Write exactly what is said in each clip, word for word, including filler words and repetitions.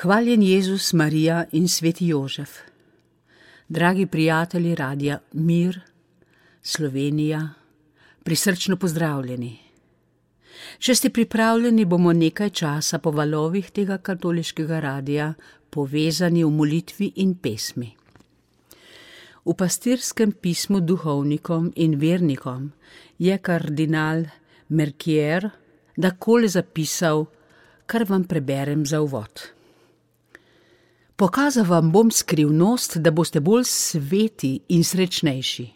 Hvaljen Jezus, Marija in sveti Jožef. Dragi prijatelji Radia Mir, Slovenija, prisrčno pozdravljeni. Če ste pripravljeni, bomo nekaj časa po valovih tega katoliškega radia povezani v molitvi in pesmi. V pastirskem pismu duhovnikom in vernikom je kardinal Mercier takole zapisal, kar vam preberem za uvod. Pokazal vam bom skrivnost, da boste bolj sveti in srečnejši.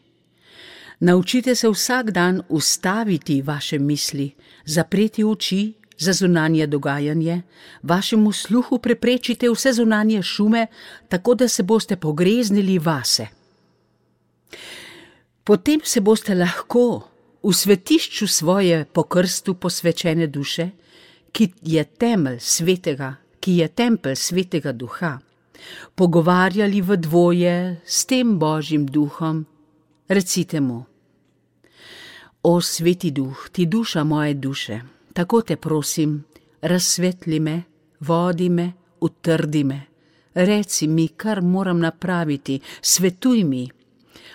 Naučite se vsak dan ustaviti vaše misli, zapreti oči za zunanje dogajanje, vašemu sluhu preprečite vse zunanje šume, tako da se boste pogreznili vase. Potem se boste lahko v svetišču svoje po krstu posvečene duše, ki je temelj svetega, ki je tempelj svetega duha, pogovarjali v dvoje s tem Božjim duhom. Recite mu: O sveti duh, ti duša moje duše, tako te prosim, razsvetli me, vodi me, utrdi me, reci mi, kar moram napraviti, svetuj mi.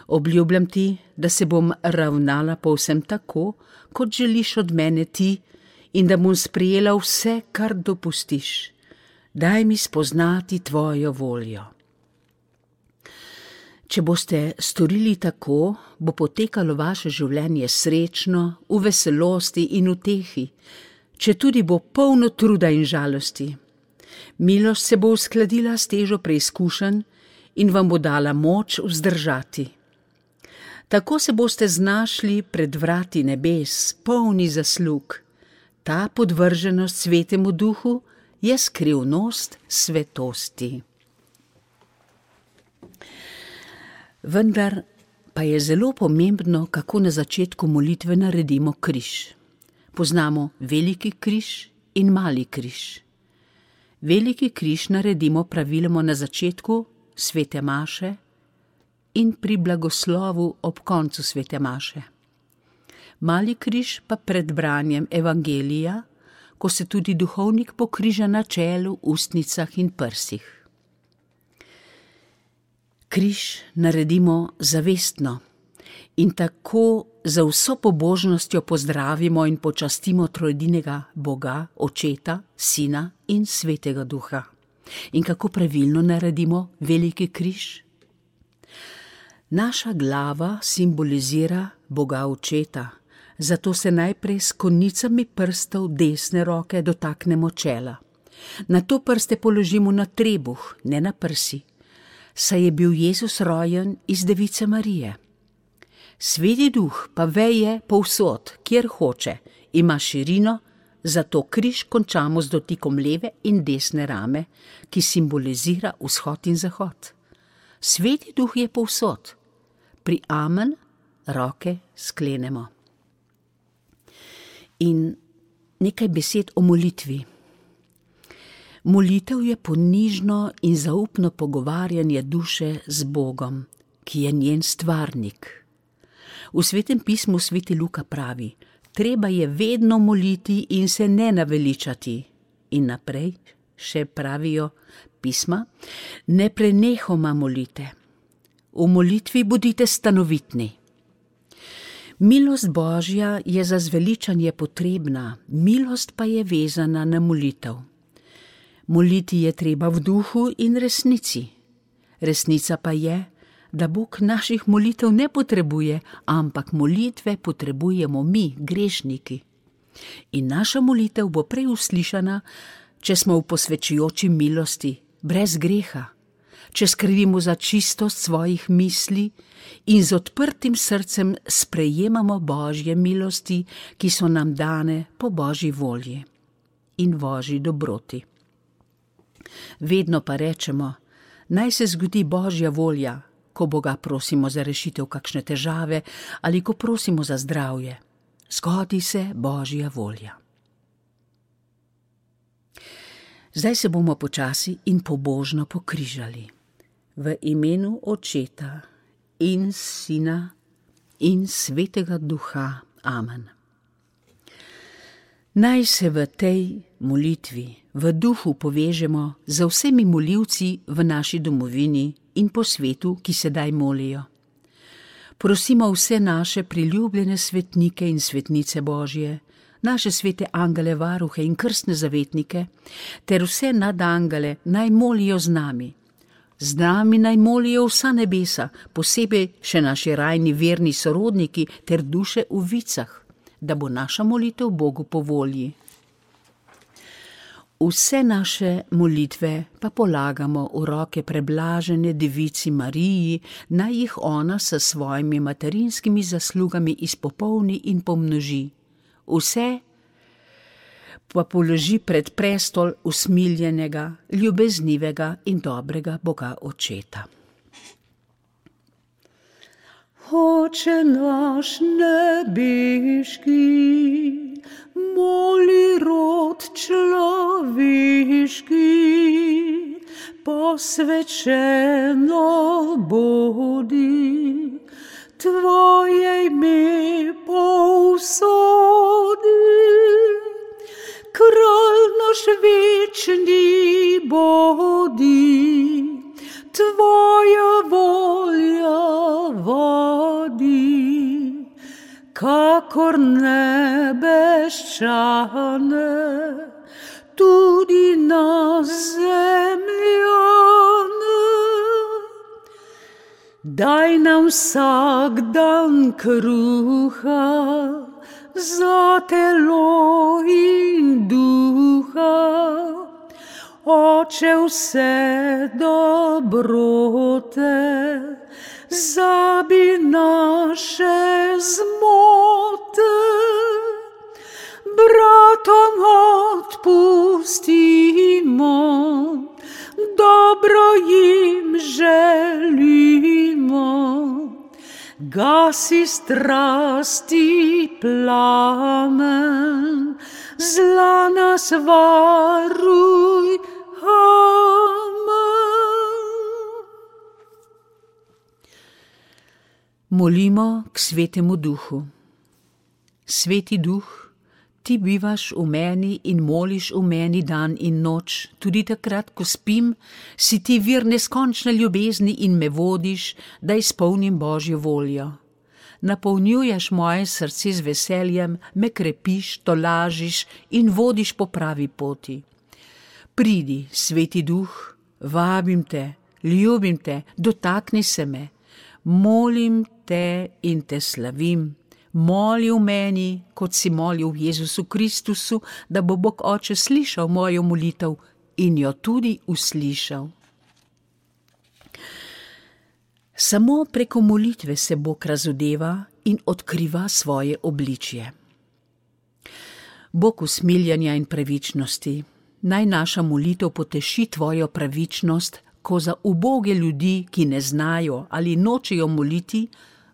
Obljubljam ti, da se bom ravnala povsem tako, kot želiš od mene ti, in da bom sprejela vse, kar dopustiš. Daj mi spoznati tvojo voljo. Če boste storili tako, bo potekalo vaše življenje srečno, v veselosti in utehi, če tudi bo polno truda in žalosti. Milost se bo uskladila s težo preizkušenj in vam bo dala moč vzdržati. Tako se boste znašli pred vrati nebes, polni zaslug. Ta podvrženost svetemu duhu je skrivnost svetosti. Vendar pa je zelo pomembno, kako na začetku molitve naredimo križ. Poznamo veliki križ in mali križ. Veliki križ naredimo praviloma na začetku svete maše in pri blagoslovu ob koncu svete maše. Mali križ pa pred branjem evangelija, ko se tudi duhovnik pokriža na čelu, ustnicah in prsih. Križ naredimo zavestno in tako za vso pobožnostjo pozdravimo in počastimo trojedinega Boga, Očeta, Sina in Svetega Duha. In kako pravilno naredimo veliki križ? Naša glava simbolizira Boga Očeta, zato se najprej s konicami prstov desne roke dotaknemo čela. Nato prste položimo na trebuh, ne na prsi, saj je bil Jezus rojen iz Device Marije. Sveti duh pa veje povsod, kjer hoče, ima širino, zato križ končamo z dotikom leve in desne rame, ki simbolizira vzhod in zahod. Sveti duh je povsod. Pri amen roke sklenemo. In nekaj besed o molitvi. Molitev je ponižno in zaupno pogovarjanje duše z Bogom, ki je njen stvarnik. V svetem pismu sveti Luka pravi: treba je vedno moliti in se ne naveličati. In naprej še pravijo pisma: ne prenehoma molite. V molitvi bodite stanovitni. Milost Božja je za zveličanje potrebna, milost pa je vezana na molitev. Moliti je treba v duhu in resnici. Resnica pa je, da Bog naših molitev ne potrebuje, ampak molitve potrebujemo mi, grešniki. In naša molitev bo prej uslišana, če smo v posvečujoči milosti, brez greha, če skrbimo za čistost svojih misli in z odprtim srcem sprejemamo Božje milosti, ki so nam dane po Božji volji in Božji dobroti. Vedno pa rečemo: naj se zgodi Božja volja, ko Boga prosimo za rešitev kakšne težave ali ko prosimo za zdravje. Zgodi se Božja volja. Zdaj se bomo počasi in pobožno pokrižali. V imenu Očeta in Sina in Svetega Duha. Amen. Naj se v tej molitvi, v duhu povežemo z vsemi molilci v naši domovini in po svetu, ki sedaj molijo. Prosimo vse naše priljubljene svetnike in svetnice Božje, naše svete angele, varuhe in krstne zavetnike, ter vse nadangele naj molijo z nami. Z nami naj molijo vsa nebesa, posebej še naši rajni verni sorodniki ter duše v vicah, da bo naša molitev Bogu po volji. Vse naše molitve pa polagamo v roke preblažene devici Mariji, naj jih ona s svojimi materinskimi zaslugami izpopolni in pomnoži. Vse pa položi pred prestol usmiljenega, ljubeznivega in dobrega Boga Očeta. Oče naš nebeški, moli rod človeški, posvečeno bodi, tvoje ime povsodi. Kralj naš večni bodi, tvoja volja vodi, kakor nebeščane, tudi na zemljane. Daj nam vsak dan kruha, za telo in duha, Oče vse dobrote, zabi naše zmote, bratom odpustimo, dobro jim želimo. Gasi strasti plamen, zla nas varuj, amen. Molimo k Svetemu Duhu. Sveti Duh, ti bivaš v meni in moliš v meni dan in noč, tudi takrat, ko spim, si ti vir neskončne ljubezni in me vodiš, da izpolnim Božjo voljo. Napolnjuješ moje srce z veseljem, me krepiš, tolažiš in vodiš po pravi poti. Pridi, Sveti Duh, vabim te, ljubim te, dotakni se me, molim te in te slavim. Moli v meni, kot si molil v Jezusu Kristusu, da bo Bog Oče slišal mojo molitev in jo tudi uslišal. Samo preko molitve se Bog razodeva in odkriva svoje obličje. Bog usmiljanja in pravičnosti, naj naša molitev poteši tvojo pravičnost, ko za uboge ljudi, ki ne znajo ali nočejo moliti,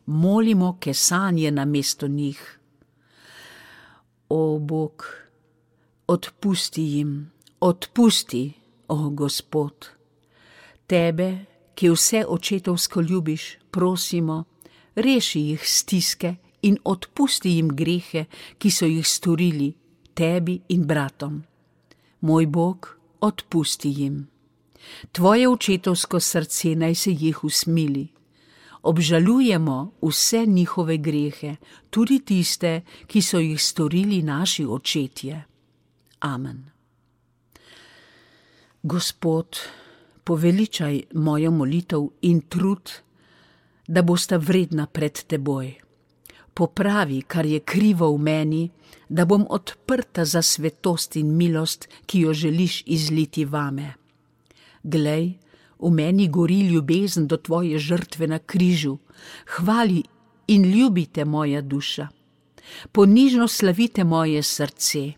molimo kesanje namesto njih. O Bog, odpusti jim, odpusti, o Gospod. Tebe, ki vse očetovsko ljubiš, prosimo, reši jih stiske in odpusti jim grehe, ki so jih storili tebi in bratom. Moj Bog, odpusti jim. Tvoje očetovsko srce naj se jih usmili. Obžalujemo vse njihove grehe, tudi tiste, ki so jih storili naši očetje. Amen. Gospod, poveličaj mojo molitev in trud, da bosta vredna pred teboj. Popravi, kar je krivo v meni, da bom odprta za svetost in milost, ki jo želiš izliti vame. Glej, v meni gori ljubezen do tvoje žrtve na križu. Hvali in ljubite moja duša. Ponižno slavite moje srce.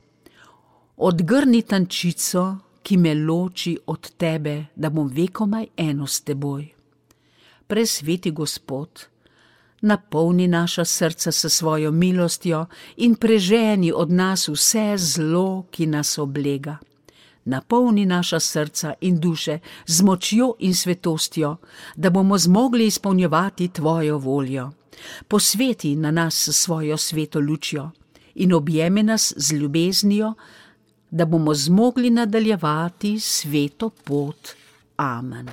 Odgrni tančico, ki me loči od tebe, da bom vekomaj eno s teboj. Presveti Gospod, napolni naša srca s svojo milostjo in preženi od nas vse zlo, ki nas oblega. Napolni naša srca in duše z močjo in svetostjo, da bomo zmogli izpolnjevati tvojo voljo. Posveti na nas svojo sveto lučjo in objemi nas z ljubeznijo, da bomo zmogli nadaljevati sveto pot. Amen.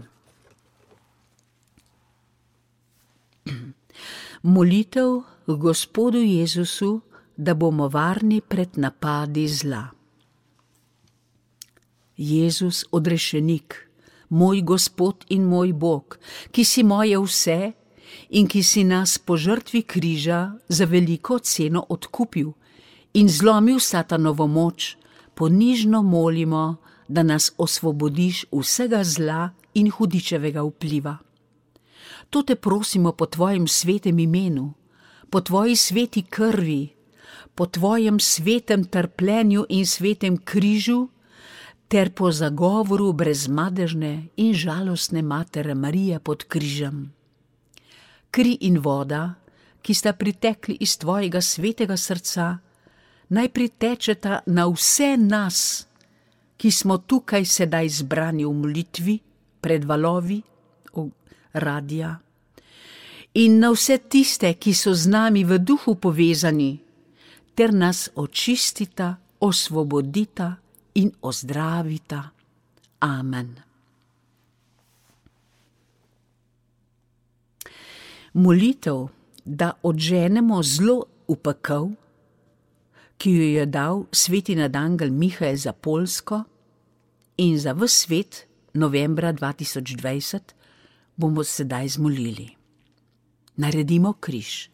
Molitev Gospodu Jezusu, da bomo varni pred napadi zla. Jezus odrešenik, moj Gospod in moj Bog, ki si moje vse in ki si nas po žrtvi križa za veliko ceno odkupil in zlomil satanovo moč, ponižno molimo, da nas osvobodiš vsega zla in hudičevega vpliva. To te prosimo po tvojem svetem imenu, po tvoji sveti krvi, po tvojem svetem trpljenju in svetem križu, ter po zagovoru brezmadežne in žalostne matere Marije pod križem. Kri in voda, ki sta pritekli iz tvojega svetega srca, naj pritečeta na vse nas, ki smo tukaj sedaj zbrani v molitvi, pred valovi radia, in na vse tiste, ki so z nami v duhu povezani, ter nas očistita, osvobodita in ozdravita. Amen. Molitev, da odženemo zlo v pekel, ki jo je dal sveti nadangel Mihael za Poljsko in za ves svet novembra dva tisoč dvajset, bomo sedaj zmolili. Naredimo križ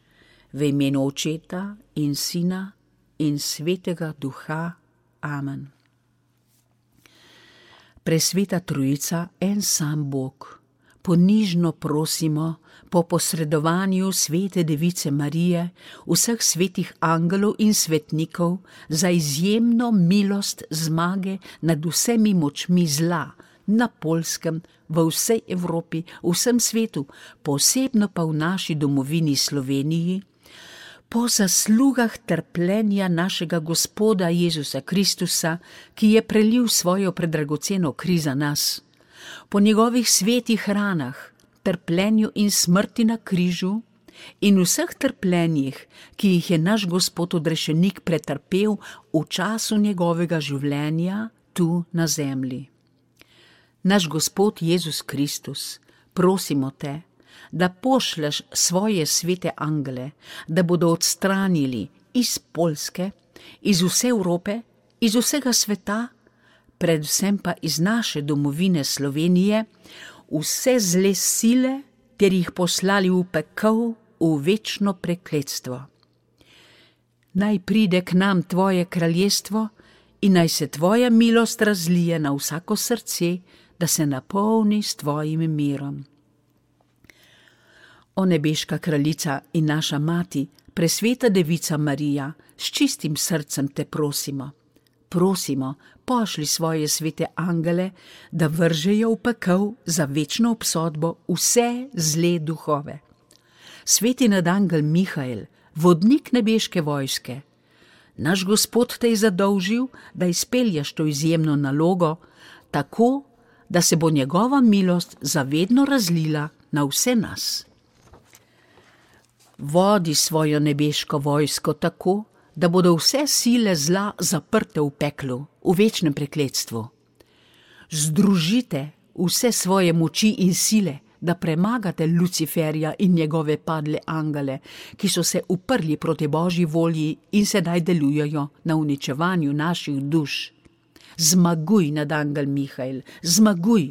v imenu Očeta in Sina in Svetega Duha. Amen. Presveta Trojica, en sam Bog, ponižno prosimo po posredovanju svete Device Marije, vseh svetih angelov in svetnikov za izjemno milost zmage nad vsemi močmi zla na Poljskem, v vsej Evropi, v vsem svetu, posebno pa v naši domovini Sloveniji, po zaslugah trpljenja našega Gospoda Jezusa Kristusa, ki je prelil svojo predragoceno kri za nas, po njegovih svetih ranah, trpljenju in smrti na križu in vseh trpljenjih, ki jih je naš Gospod odrešenik pretrpel v času njegovega življenja tu na zemlji. Naš Gospod Jezus Kristus, prosimo te, da pošleš svoje svete angele, da bodo odstranili iz Poljske, iz vse Evrope, iz vsega sveta, predvsem pa iz naše domovine Slovenije, vse zle sile, ter jih poslali v pekel, v večno prekletstvo. Naj pride k nam tvoje kraljestvo in naj se tvoja milost razlije na vsako srce, da se napolni s tvojim mirom. O nebeška kraljica in naša mati, presveta Devica Marija, s čistim srcem te prosimo. Prosimo, pošli svoje svete angele, da vržejo v pekel za večno obsodbo vse zle duhove. Sveti nadangel Mihael, vodnik nebeške vojske, naš Gospod te je zadolžil, da izpelješ to izjemno nalogo, tako, da se bo njegova milost zavedno razlila na vse nas. Vodi svojo nebeško vojsko tako, da bodo vse sile zla zaprte v peklu, v večnem prekletstvu. Združite vse svoje moči in sile, da premagate Luciferja in njegove padle angele, ki so se uprli proti Božji volji in sedaj delujejo na uničevanju naših duš. Zmaguj, nadangel Mihael, zmaguj,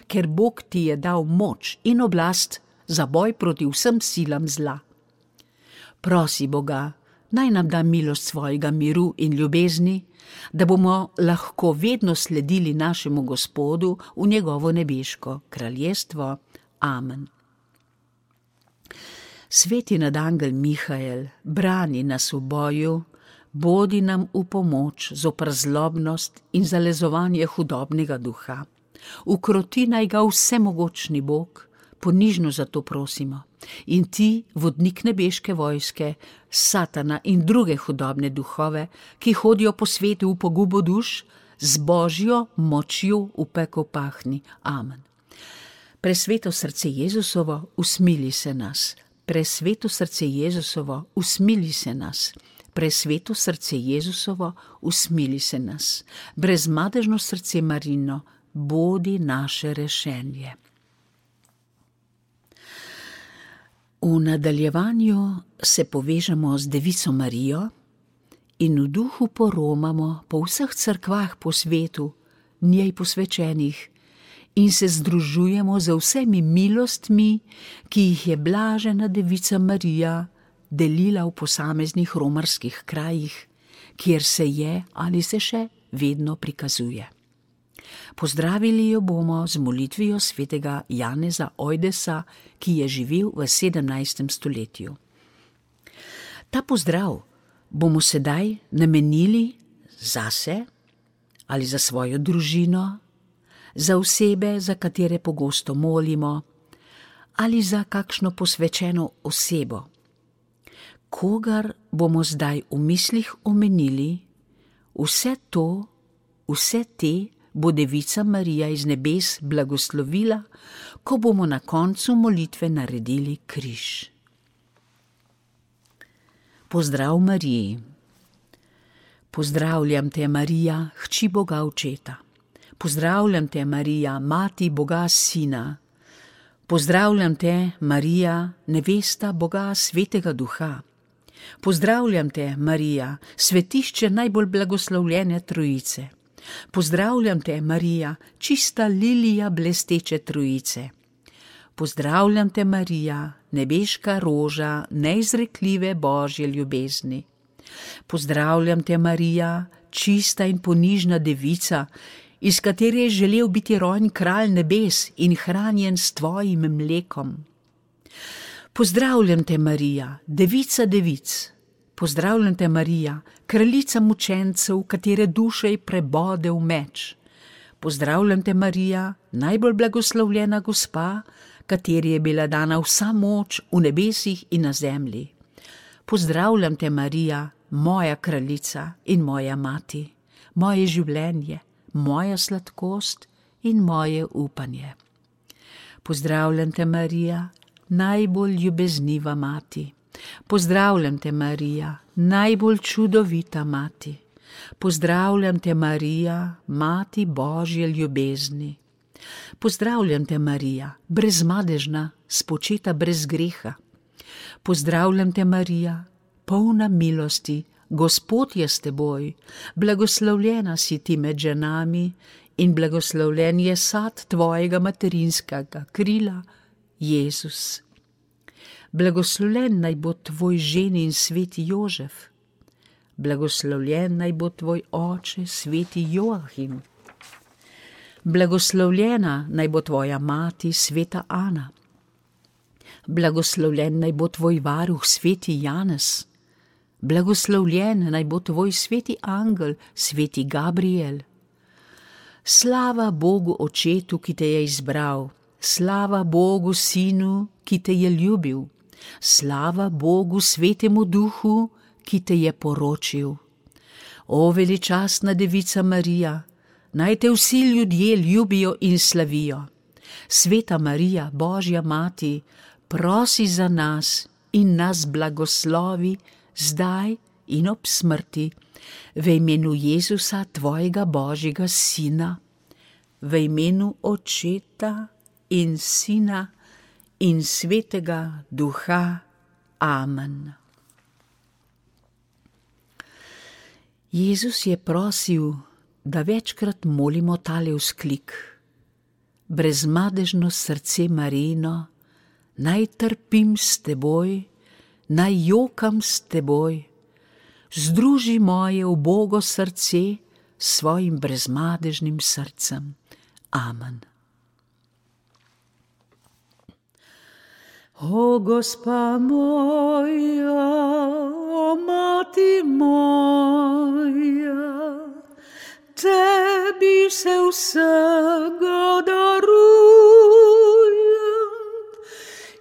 ker Bog ti je dal moč in oblast za boj proti vsem silam zla. Prosi Boga, naj nam da milost svojega miru in ljubezni, da bomo lahko vedno sledili našemu Gospodu v njegovo nebeško kraljestvo. Amen. Sveti nadangel Mihael, brani nas v boju, bodi nam v pomoč zoper zlobnost in zalezovanje hudobnega duha. Ukroti naj ga vsemogočni Bog, ponižno za to prosimo. In ti, vodnik nebeške vojske, Satana in druge hudobne duhove, ki hodijo po svetu v pogubo duš, z Božjo močjo v pekel pahni. Amen. Presveto srce Jezusovo, usmili se nas. Presveto srce Jezusovo, usmili se nas. presveto srce Jezusovo, usmili se nas. Brezmadežno srce Marino, bodi naše rešenje. V nadaljevanju se povežemo z Devico Marijo in v duhu poromamo po vseh cerkvah po svetu, njej posvečenih, in se združujemo z vsemi milostmi, ki jih je blažena Devica Marija delila v posameznih romarskih krajih, kjer se je ali se še vedno prikazuje. Pozdravili jo bomo z molitvijo svetega Janeza Ojdesa, ki je živel v sedemnajstem stoletju. Ta pozdrav bomo sedaj namenili zase ali za svojo družino, za osebe, za katere pogosto molimo, ali za kakšno posvečeno osebo. Kogar bomo zdaj v mislih omenili, vse to, vse te bo Devica Marija iz nebes blagoslovila, ko bomo na koncu molitve naredili križ. Pozdrav Mariji. Pozdravljam te, Marija, hči Boga Očeta. Pozdravljam te, Marija, mati Boga Sina. Pozdravljam te, Marija, nevesta Boga Svetega Duha. Pozdravljam te, Marija, svetišče najbolj blagoslovljene Trojice. Pozdravljam te, Marija, čista lilija blesteče Trojice. Pozdravljam te, Marija, nebeška roža neizrekljive Božje ljubezni. Pozdravljam te, Marija, čista in ponižna devica, iz katere je želel biti rojen kralj nebes in hranjen s tvojim mlekom. Pozdravljam te, Marija, devica devic. Pozdravljam te, Marija, kraljica mučencev, katere duše je prebodel meč. Pozdravljam te, Marija, najbolj blagoslovljena gospa, kateri je bila dana vsa moč v nebesih in na zemlji. Pozdravljam te, Marija, moja kraljica in moja mati, moje življenje, moja sladkost in moje upanje. Pozdravljam te, Marija, najbolj ljubezniva mati. Pozdravljam te, Marija, najbolj čudovita mati. Pozdravljam te, Marija, mati Božje ljubezni. Pozdravljam te, Marija, brezmadežna, spočeta brez greha. Pozdravljam te, Marija, polna milosti, Gospod je s teboj, blagoslovljena si ti med ženami in blagoslovljen je sad tvojega materinskega krila, Jezus. Blagoslovljen naj bo tvoj ženin sveti Jožef, blagoslovljen naj bo tvoj oče sveti Joahim, blagoslovljena naj bo tvoja mati sveta Ana, blagoslovljen naj bo tvoj varuh sveti Janez, blagoslovljen naj bo tvoj sveti angel sveti Gabriel. Slava Bogu Očetu, ki te je izbral, slava Bogu Sinu, ki te je ljubil, slava Bogu Svetemu Duhu, ki te je poročil. O veličastna Devica Marija, naj te vsi ljudje ljubijo in slavijo. Sveta Marija, Božja mati, prosi za nas in nas blagoslovi zdaj in ob smrti, v imenu Jezusa, tvojega Božjega Sina, v imenu Očeta in Sina in Svetega Duha. Amen. Jezus je prosil, da večkrat molimo tale vzklik: brezmadežno srce Marijino, naj trpim s teboj, naj jokam s teboj, združi moje ubogo srce s svojim brezmadežnim srcem. Amen. O Gospa moja, o Mati moja, tebi se vsega darujem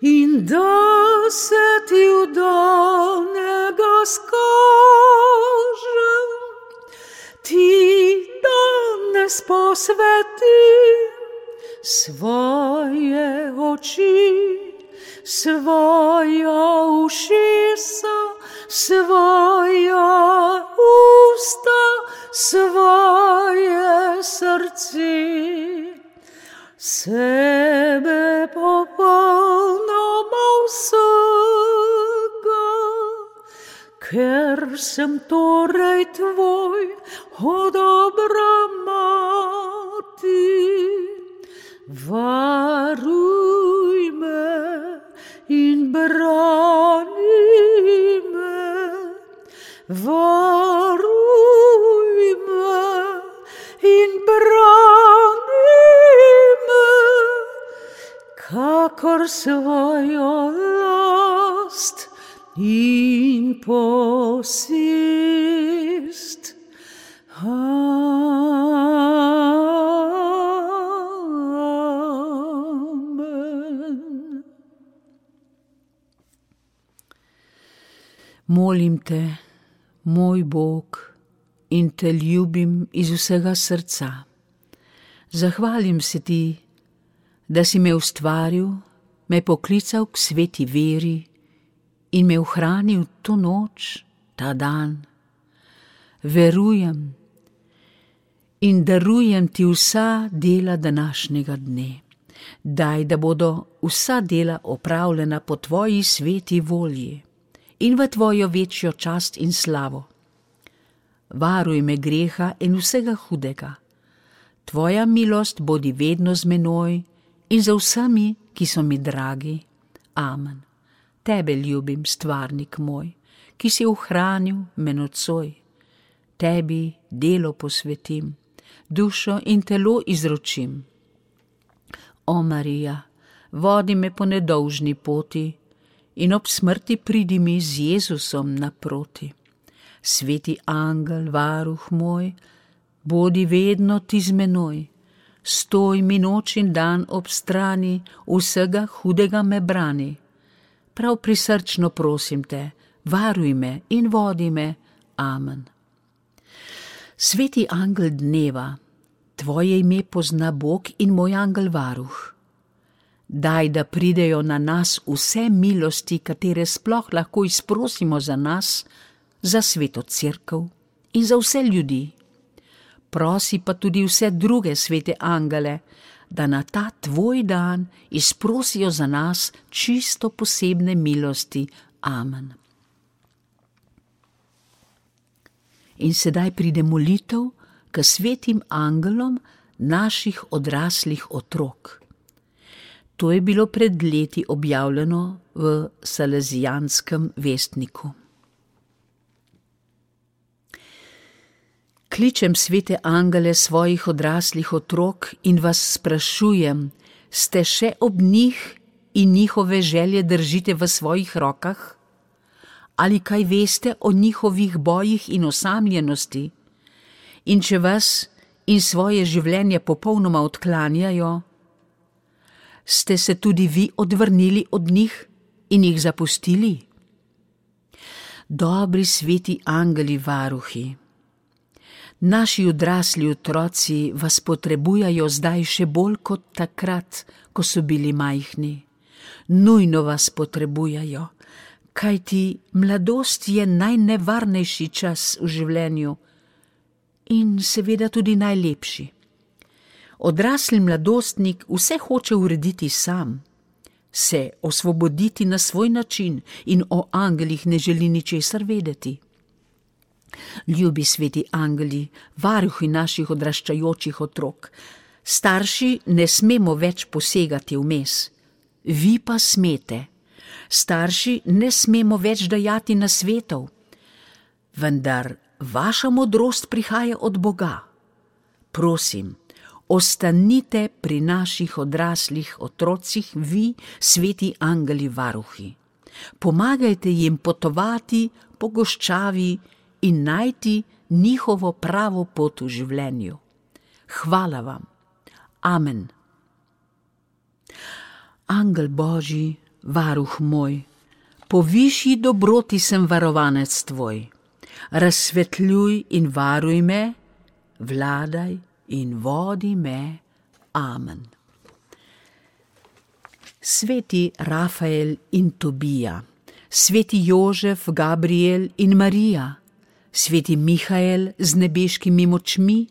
in da se ti vdanega skažem, ti danes posvetim svoje oči, svoja ušesa, svoja usta, svoje srce, sebe popolnoma vsega, ker sem torej tvoj, o dobra mati. Varuj me in brani me, varuj me in brani me, kakor svojo last in posest. Molim te, moj Bog, in te ljubim iz vsega srca. Zahvalim se ti, da si me ustvaril, me poklical k sveti veri in me ohranil to noč, ta dan. Verujem in darujem ti vsa dela današnjega dne. Daj, da bodo vsa dela opravljena po tvoji sveti volji in v tvojo večjo čast in slavo. Varuj me greha in vsega hudega. Tvoja milost bodi vedno z menoj in za vsemi, ki so mi dragi. Amen. Tebe ljubim, stvarnik moj, ki si ohranil me nocoj. Tebi delo posvetim, dušo in telo izročim. O Marija, vodi me po nedolžni poti in ob smrti pridi mi z Jezusom naproti. Sveti angel, varuh moj, bodi vedno ti z menoj. Stoj mi noč in dan ob strani, vsega hudega me brani. Prav prisrčno prosim te, varuj me in vodi me. Amen. Sveti angel dneva, tvoje ime pozna Bog in moj angel varuh. Daj, da pridejo na nas vse milosti, katere sploh lahko izprosimo za nas, za sveto cerkev in za vse ljudi. Prosi pa tudi vse druge svete angele, da na ta tvoj dan izprosijo za nas čisto posebne milosti. Amen. In sedaj pride molitev k svetim angelom naših odraslih otrok. To je bilo pred leti objavljeno v Salezijanskem vestniku. Kličem svete angele svojih odraslih otrok in vas sprašujem, ste še ob njih in njihove želje držite v svojih rokah? Ali kaj veste o njihovih bojih in osamljenosti? In če vas in svoje življenje popolnoma odklanjajo, ste se tudi vi odvrnili od njih in jih zapustili? Dobri sveti angeli varuhi, naši odrasli otroci vas potrebujajo zdaj še bolj kot takrat, ko so bili majhni. Nujno vas potrebujajo, kajti mladost je najnevarnejši čas v življenju in seveda tudi najlepši. Odrasli mladostnik vse hoče urediti sam, se osvoboditi na svoj način in o angelih ne želi ničesar vedeti. Ljubi sveti angeli, varuhi naših odraščajočih otrok, starši ne smemo več posegati vmes, vi pa smete. Starši ne smemo več dajati nasvetov, vendar vaša modrost prihaja od Boga. Prosim, ostanite pri naših odraslih otrocih, vi, sveti angeli varuhi. Pomagajte jim potovati po goščavi in najti njihovo pravo pot v življenju. Hvala vam. Amen. Angel Božji, varuh moj, po višji dobroti sem varovanec tvoj. Razsvetljuj in varuj me, vladaj in vodi me. Amen. Sveti Rafael in Tobija, sveti Jožef, Gabriel in Marija, sveti Mihael z nebeškimi močmi,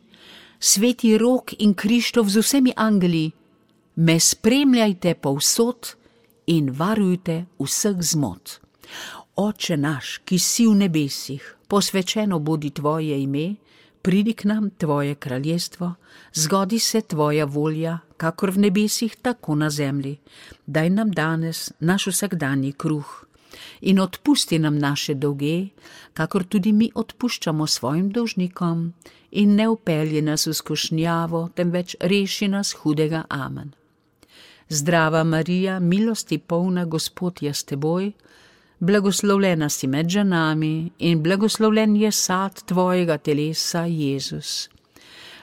sveti Rok in Krištof z vsemi angeli, me spremljajte povsod in varujte vseh zmot. Oče naš, ki si v nebesih, posvečeno bodi tvoje ime, pridi k nam tvoje kraljestvo, zgodi se tvoja volja, kakor v nebesih, tako na zemlji. Daj nam danes naš vsakdanji kruh in odpusti nam naše dolge, kakor tudi mi odpuščamo svojim dolžnikom, in ne vpelji nas v skušnjavo, temveč reši nas hudega. Amen. Zdrava Marija, milosti polna, Gospod je s teboj, blagoslovljena si med ženami in blagoslovljen je sad tvojega telesa, Jezus.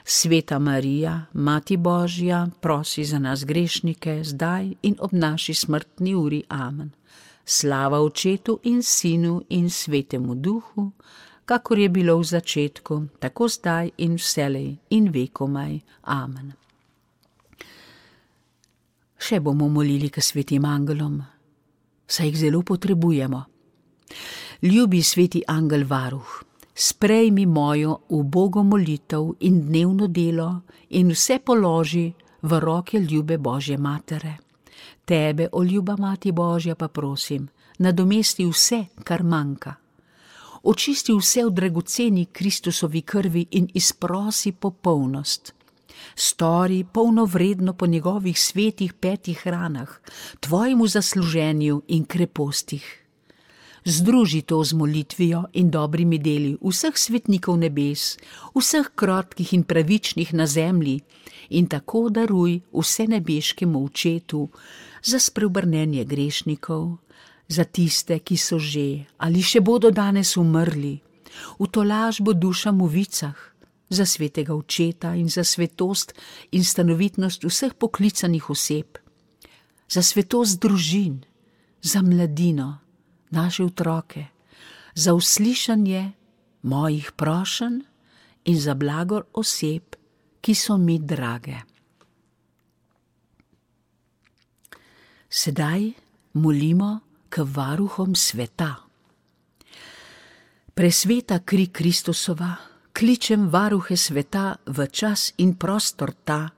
Sveta Marija, Mati Božja, prosi za nas grešnike, zdaj in ob naši smrtni uri. Amen. Slava Očetu in Sinu in Svetemu Duhu, kakor je bilo v začetku, tako zdaj in vselej in vekomaj. Amen. Še bomo molili k svetim angelom, saj jih zelo potrebujemo. Ljubi sveti angel varuh, sprejmi mojo ubogo molitev in dnevno delo in vse položi v roke ljube Božje matere. Tebe, o ljuba Mati Božja, pa prosim, nadomesti vse, kar manjka. Očisti vse v dragoceni Kristusovi krvi in izprosi popolnost. Stori polnovredno po njegovih svetih petih ranah, tvojemu zasluženju in krepostih. Združi to z molitvijo in dobrimi deli vseh svetnikov nebes, vseh krotkih in pravičnih na zemlji, in tako daruj vse nebeškemu Očetu za spreobrnenje grešnikov, za tiste, ki so že ali še bodo danes umrli, v tolažbo dušam v vicah, za svetega Očeta in za svetost in stanovitnost vseh poklicanih oseb, za svetost družin, za mladino, naše otroke, za uslišanje mojih prošenj in za blagor oseb, ki so mi drage. Sedaj molimo k varuhom sveta. Presveta kri Kristusova, kličem varuhe sveta v čas in prostor ta,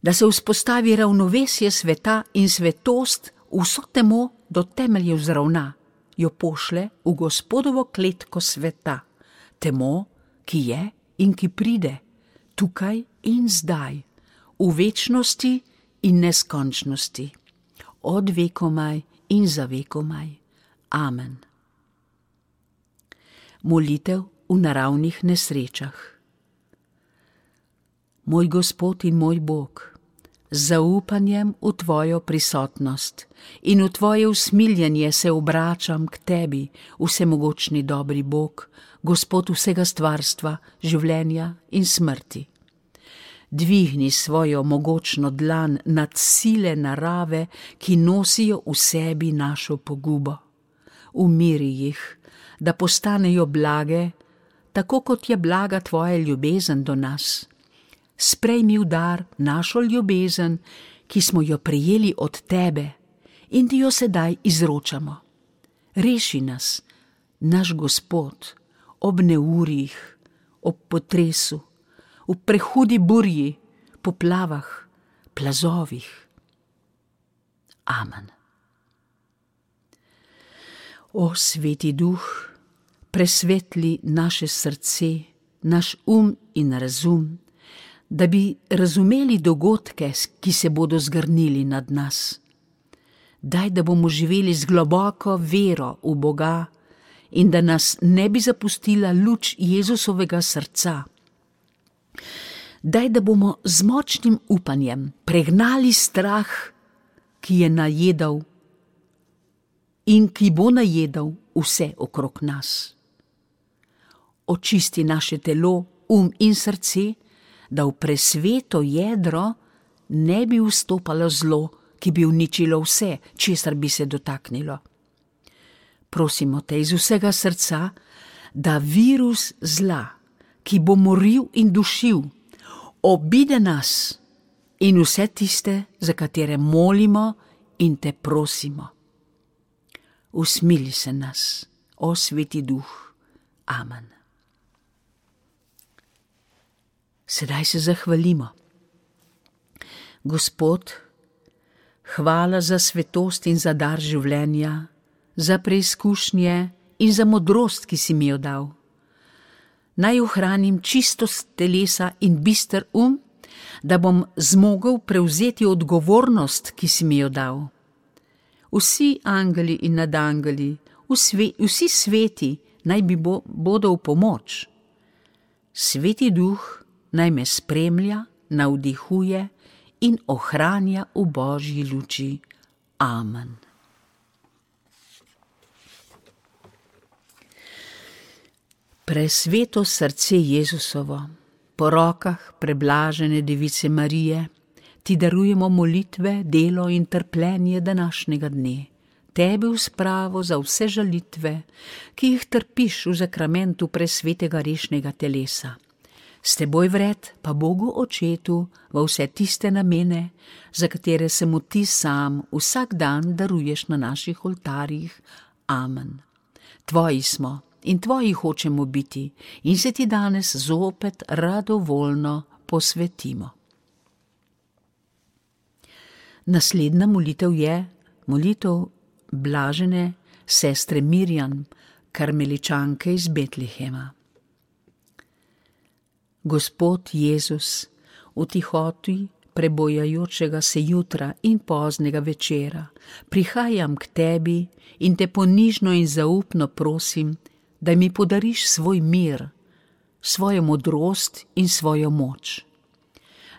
da se vzpostavi ravnovesje sveta in svetost vso temo do temeljev zravna, jo pošle v Gospodovo kletko sveta, temo, ki je in ki pride, tukaj in zdaj, v večnosti in neskončnosti, od vekomaj in za vekomaj. Amen. Molitev v naravnih nesrečah. Moj Gospod in moj Bog, z zaupanjem v tvojo prisotnost in v tvoje usmiljenje se obračam k tebi, vsemogočni dobri Bog, Gospod vsega stvarstva, življenja in smrti. Dvigni svojo mogočno dlan nad sile narave, ki nosijo v sebi našo pogubo. Umiri jih, da postanejo blage, tako kot je blaga tvoja ljubezen do nas. Sprejmi v dar našo ljubezen, ki smo jo prejeli od tebe in ti jo sedaj izročamo. Reši nas, naš Gospod, ob neurjih, ob potresu, v prehudi burji, poplavah, plazovih. Amen. O sveti Duh, presvetli naše srce, naš um in razum, da bi razumeli dogodke, ki se bodo zgrnili nad nas. Daj, da bomo živeli z globoko vero v Boga in da nas ne bi zapustila luč Jezusovega srca. Daj, da bomo z močnim upanjem pregnali strah, ki je najedal in ki bo najedal vse okrog nas. Očisti naše telo, um in srce, da v presveto jedro ne bi vstopalo zlo, ki bi uničilo vse, česar bi se dotaknilo. Prosimo te iz vsega srca, da virus zla, ki bo moril in dušil, obide nas in vse tiste, za katere molimo in te prosimo. usmili se nas, o Sveti Duh. Amen. Sedaj se zahvalimo. Gospod, hvala za svetost in za dar življenja, za preizkušnje in za modrost, ki si mi jo dal. Naj ohranim čistost telesa in bister um, da bom zmogel prevzeti odgovornost, ki si mi jo dal. Vsi angeli in nadangeli, vsi sveti naj mi bo, bodo v pomoč. Sveti Duh naj me spremlja, navdihuje in ohranja v Božji luči. Amen. Presveto srce Jezusovo, po rokah preblažene Device Marije, ti darujemo molitve, delo in trpljenje današnjega dne, tebi v spravo za vse žalitve, ki jih trpiš v zakramentu presvetega rešnega telesa. S teboj vred pa Bogu Očetu v vse tiste namene, za katere se mu ti sam vsak dan daruješ na naših oltarjih. Amen. Tvoji smo in tvoji hočemo biti in se ti danes zopet radovoljno posvetimo. Naslednja molitev je molitev blažene sestre Mirjam, karmeličanke iz Betlehema. Gospod Jezus, v tihoti prebojajočega se jutra in poznega večera, prihajam k tebi in te ponižno in zaupno prosim, da mi podariš svoj mir, svojo modrost in svojo moč.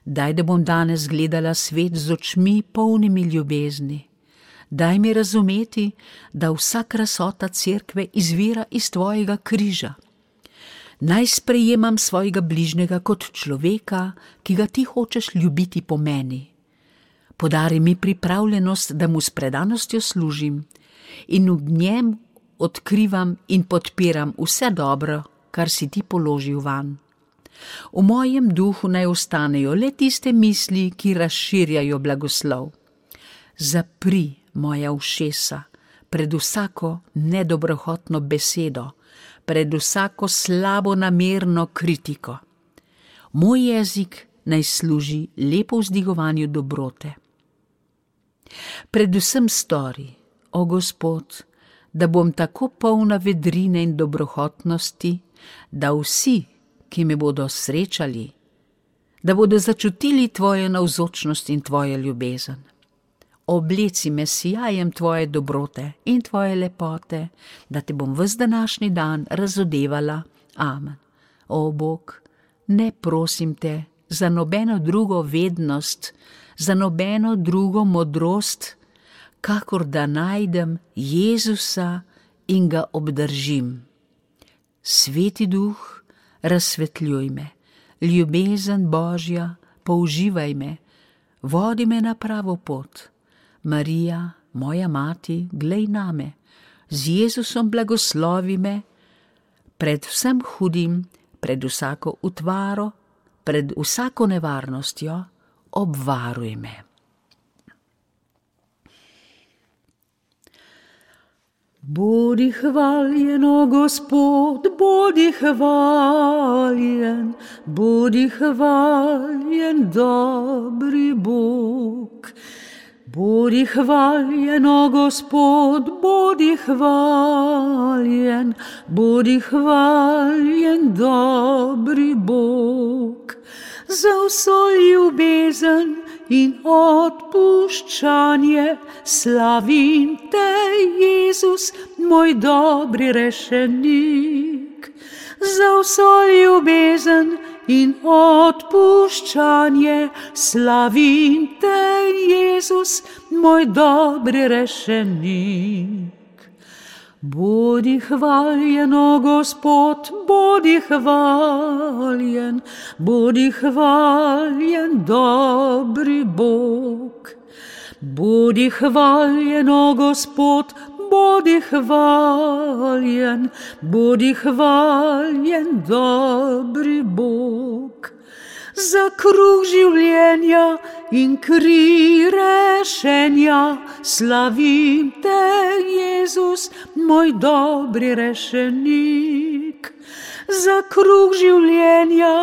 Daj, da bom danes gledala svet z očmi polnimi ljubezni. Daj mi razumeti, da vsa krasota cerkve izvira iz tvojega križa. Naj sprejemam svojega bližnjega kot človeka, ki ga ti hočeš ljubiti po meni. Podari mi pripravljenost, da mu s predanostjo služim in v njem odkrivam in podpiram vse dobro, kar si ti položil van. V mojem duhu naj ostanejo le tiste misli, ki razširjajo blagoslov. Zapri moja ušesa pred vsako nedobrohotno besedo, pred vsako slabo namerno kritiko. Moj jezik naj služi lepo vzdigovanju dobrote. Predvsem stori, o Gospod, da bom tako polna vedrine in dobrohotnosti, da vsi, ki me bodo srečali, da bodo začutili tvojo navzočnost in tvojo ljubezen. Obleci me sijajem tvoje dobrote in tvoje lepote, da te bom ves današnji dan razodevala. Amen. O Bog, ne prosim te za nobeno drugo vednost, za nobeno drugo modrost, kakor da najdem Jezusa in ga obdržim. Sveti Duh, razsvetljuj me, ljubezen Božja, použivaj me, vodi me na pravo pot. Marija, moja mati, glej name, z Jezusom blagoslovi me, pred vsem hudim, pred vsako utvaro, pred vsako nevarnostjo, obvaruj me. Bodi hvaljen, o Gospod, bodi hvaljen, bodi hvaljen, dobri Bog. Bodi hvaljen, o Gospod, bodi hvaljen, bodi hvaljen, dobri Bog. Za vso ljubezen in odpuščanje slavim te, Jezus, moj dobri rešenik. Za vso ljubezen in odpuščanje slavim te, Jezus, moj dobri rešenik. Bodi hvaljen, o Gospod, bodi hvaljen, bodi hvaljen, dobri Bog. Bodi hvaljen, o Gospod, bodi hvaljen, bodi hvaljen, dobri Bog. Za kruh življenja in kri rešenja, slavim te, Jezus, moj dobri rešenik. Za kruh življenja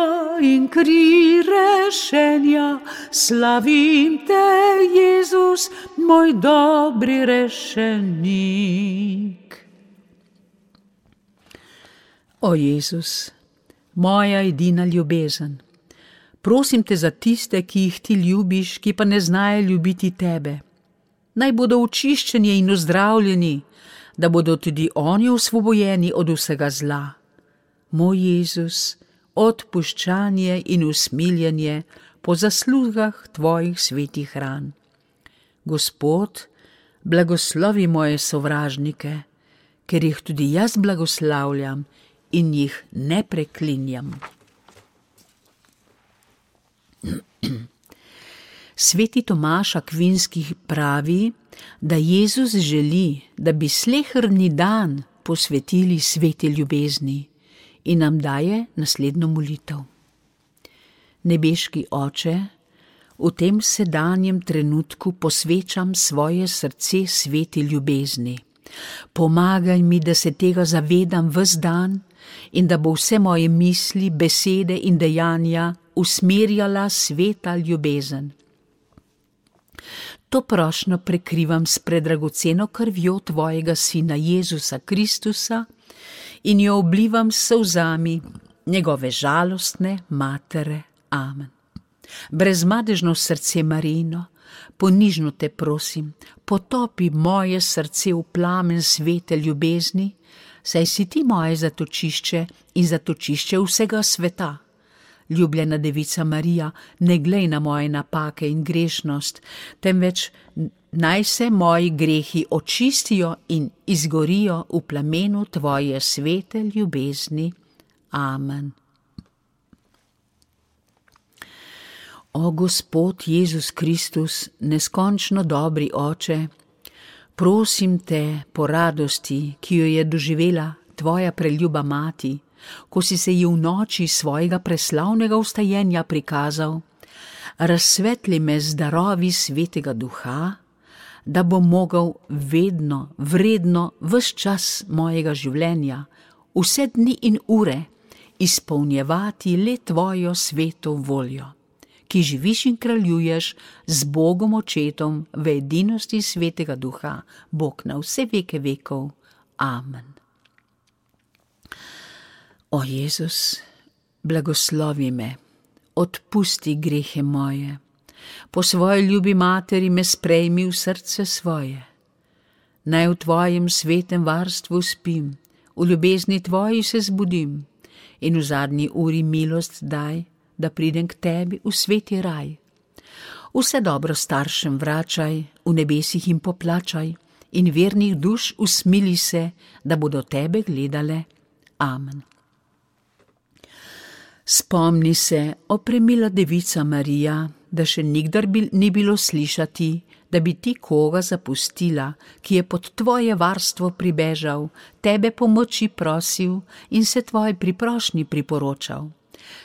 in kri rešenja, slavim te, Jezus, moj dobri rešenik. O Jezus, moja edina ljubezen, prosim te za tiste, ki jih ti ljubiš, ki pa ne znajo ljubiti tebe. Naj bodo očiščeni in ozdravljeni, da bodo tudi oni osvobojeni od vsega zla. Moj Jezus, odpuščanje in usmiljenje po zaslugah tvojih svetih ran. Gospod, blagoslovi moje sovražnike, ker jih tudi jaz blagoslavljam in jih ne preklinjam. Sveti Tomaž Akvinski pravi, da Jezus želi, da bi sleherni dan posvetili sveti ljubezni, in nam daje naslednjo molitev. Nebeški Oče, v tem sedanjem trenutku posvečam svoje srce sveti ljubezni. Pomagaj mi, da se tega zavedam ves dan in da bo vse moje misli, besede in dejanja usmerjala sveta ljubezen. To prošnjo prekrivam s predragoceno krvjo tvojega Sina Jezusa Kristusa in jo oblivam s solzami njegove žalostne matere. Amen. Brezmadežno srce Marijino, ponižno te prosim, potopi moje srce v plamen svete ljubezni, saj si ti moje zatočišče in zatočišče vsega sveta. Ljubljena Devica Marija, ne glej na moje napake in grešnost, temveč naj se moji grehi očistijo in izgorijo v plamenu tvoje svete ljubezni. Amen. O Gospod Jezus Kristus, neskončno dobri Oče, prosim te po radosti, ki jo je doživela tvoja preljuba mati, ko si se ji v noči svojega preslavnega vstajenja prikazal, razsvetli me z darovi svetega duha, da bom mogel vedno, vredno, ves čas mojega življenja, vse dni in ure, izpolnjevati le tvojo sveto voljo, ki živiš in kraljuješ z Bogom Očetom v edinosti svetega duha, Bog na vse veke vekov. Amen. O Jezus, blagoslovi me, odpusti grehe moje, po svoji ljubi materi me sprejmi v srce svoje. Naj v tvojem svetem varstvu spim, v ljubezni tvoji se zbudim in v zadnji uri milost daj, da pridem k tebi v sveti raj. Vse dobro staršem vračaj, v nebesih jim poplačaj in vernih duš usmili se, da bodo tebe gledale. Amen. Spomni se, o premila Devica Marija, da še nikdar ni bilo slišati, da bi ti koga zapustila, ki je pod tvoje varstvo pribežal, tebe pomoči prosil in se tvoji priprošnji priporočal.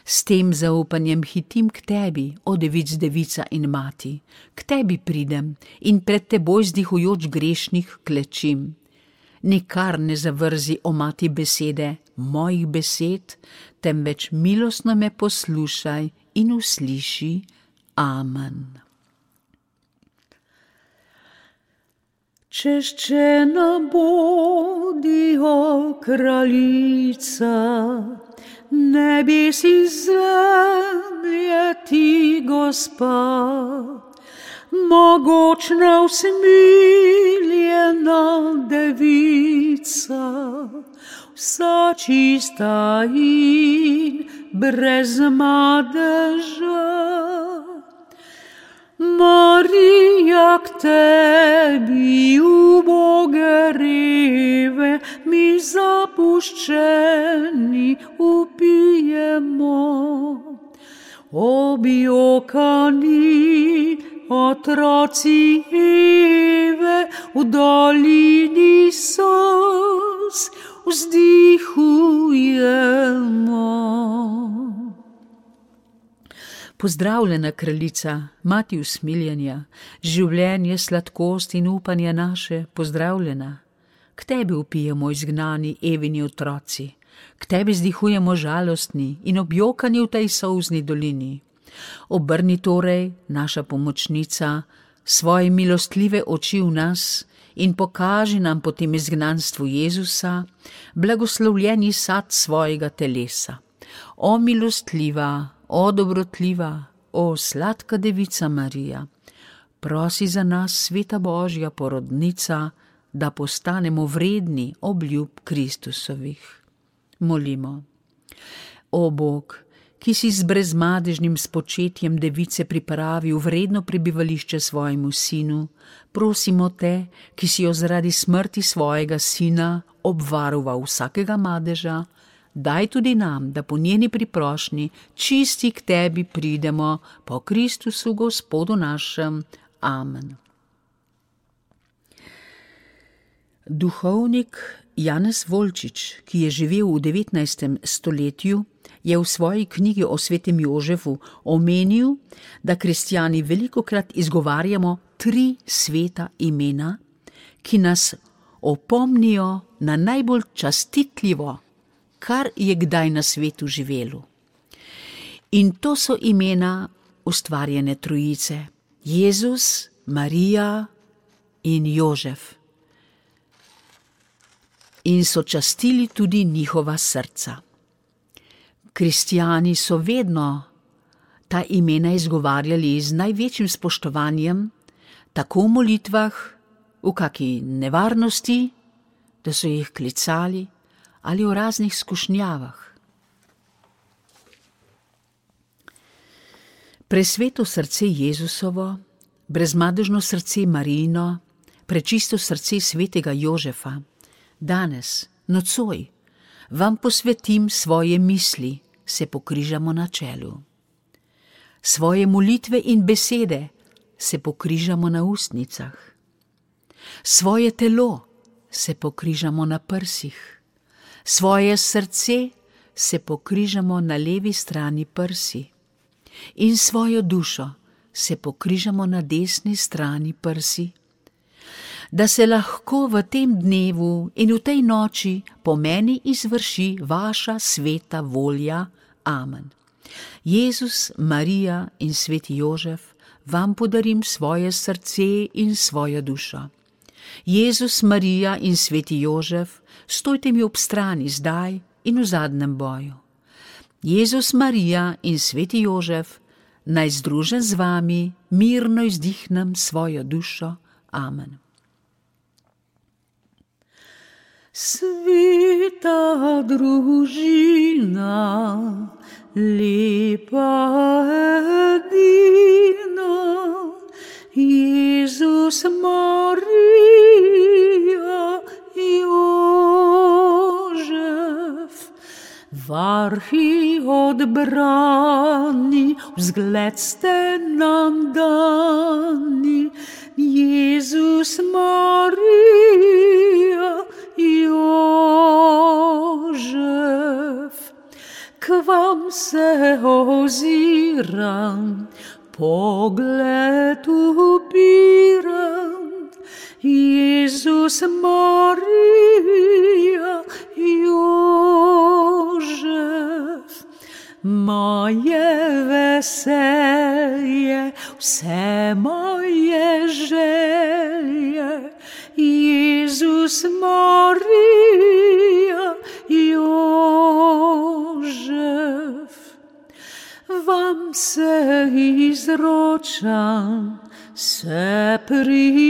S tem zaupanjem hitim k tebi, o Devic, Devica in mati, k tebi pridem in pred teboj zdihujoč grešnih klečim. Nikar ne zavrzi, o mati, besede mojih besed, temveč milostno me poslušaj in usliši. Amen. Češčena bodi, o kraljica, nebes in zemlje ti, Gospa, mogočna usmiljena devica, vsa čista in brez madeža. Marija, k tebi uboge reve, mi zapuščeni upijemo. Objokani otroci Eve, v dolini solz vzdihujemo. Pozdravljena kraljica, mati usmiljenja, življenje, sladkost in upanje naše, pozdravljena. K tebi vpijemo izgnani Evini otroci, k tebi zdihujemo žalostni in objokani v tej solzni dolini. Obrni torej, naša pomočnica, svoje milostljive oči v nas in pokaži nam po tem izgnanstvu Jezusa, blagoslovljeni sad svojega telesa. O milostljiva, o dobrotljiva, o sladka devica Marija, prosi za nas, sveta Božja porodnica, da postanemo vredni obljub Kristusovih. Molimo. O Bog, ki si z brezmadežnim spočetjem device pripravil vredno prebivališče svojemu sinu, prosimo te, ki si jo zaradi smrti svojega sina obvaroval vsakega madeža, daj tudi nam, da po njeni priprošnji čisti k tebi pridemo po Kristusu Gospodu našem. Amen. Duhovnik Janez Volčič, ki je živel v devetnajstem stoletju, je v svoji knjigi o svetem Jožefu omenil, da kristjani velikokrat izgovarjamo tri sveta imena, ki nas opomnijo na najbolj častitljivo, kar je kdaj na svetu živelo. In to so imena ustvarjene trojice: Jezus, Marija in Jožef. In so častili tudi njihova srca. Kristjani so vedno ta imena izgovarjali z največjim spoštovanjem, tako v molitvah, v kaki nevarnosti, da so jih klicali, ali v raznih skušnjavah. Presveto srce Jezusovo, brezmadežno srce Marijino, prečisto srce svetega Jožefa, danes, nocoj, vam posvetim svoje misli, se pokrižamo na čelu. Svoje molitve in besede se pokrižamo na ustnicah. Svoje telo se pokrižamo na prsih. Svoje srce se pokrižamo na levi strani prsi. In svojo dušo se pokrižamo na desni strani prsi. Da se lahko v tem dnevu in v tej noči po meni izvrši vaša sveta volja. Amen. Jezus, Marija in sveti Jožef, vam podarim svoje srce in svojo dušo. Jezus, Marija in sveti Jožef, stojte mi ob strani zdaj in v zadnjem boju. Jezus, Marija in sveti Jožef, naj združen z vami mirno izdihnem svojo dušo. Amen. Sveta družina, lepa edina, Jezus, Marija, Jožef, varhi odbrani, vzgled ste nam dani, Jezus, Marija, Jožef. K vam se oziram, pogled upiram, Jezus, Marija, Jožef. Moje veselje, vse moje želje, Jezus, Marija, Jožef. Vam se izročam, se priporočam,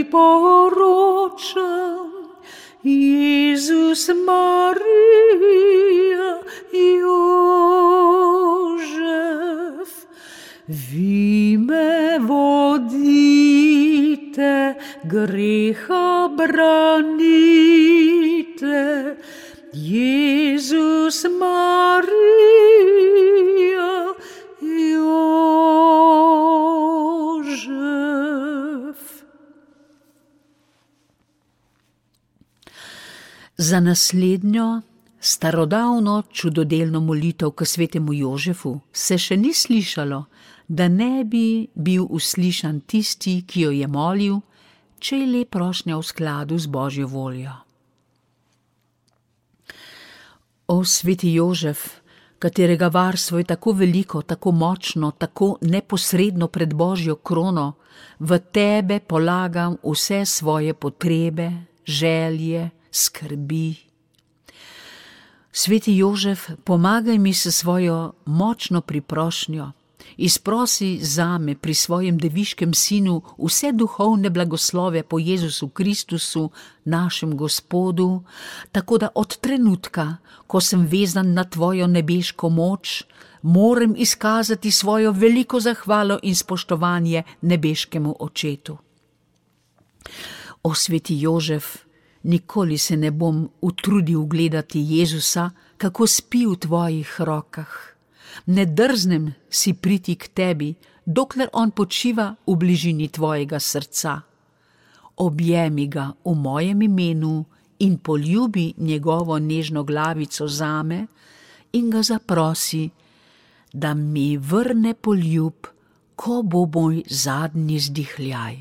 Jezus, Marija, Jožef. Vi me vodite, greha branite, Jezus, Marija, Jožef. Za naslednjo Starodavno čudodelno molitev k svetemu Jožefu se še ni slišalo, da ne bi bil uslišan tisti, ki jo je molil, če je le prošnja v skladu z Božjo voljo. O sveti Jožef, katerega varstvo je tako veliko, tako močno, tako neposredno pred Božjo krono, v tebe polagam vse svoje potrebe, želje, skrbi. Sveti Jožef, pomagaj mi s svojo močno priprošnjo, izprosi zame pri svojem deviškem sinu vse duhovne blagoslove po Jezusu Kristusu, našem Gospodu, tako da od trenutka, ko sem vezan na tvojo nebeško moč, moram izkazati svojo veliko zahvalo in spoštovanje nebeškemu Očetu. O sveti Jožef, nikoli se ne bom utrudil gledati Jezusa, kako spi v tvojih rokah. Ne drznem si priti k tebi, dokler on počiva v bližini tvojega srca. Objemi ga v mojem imenu in poljubi njegovo nežno glavico zame in ga zaprosi, da mi vrne poljub, ko bo moj zadnji zdihljaj.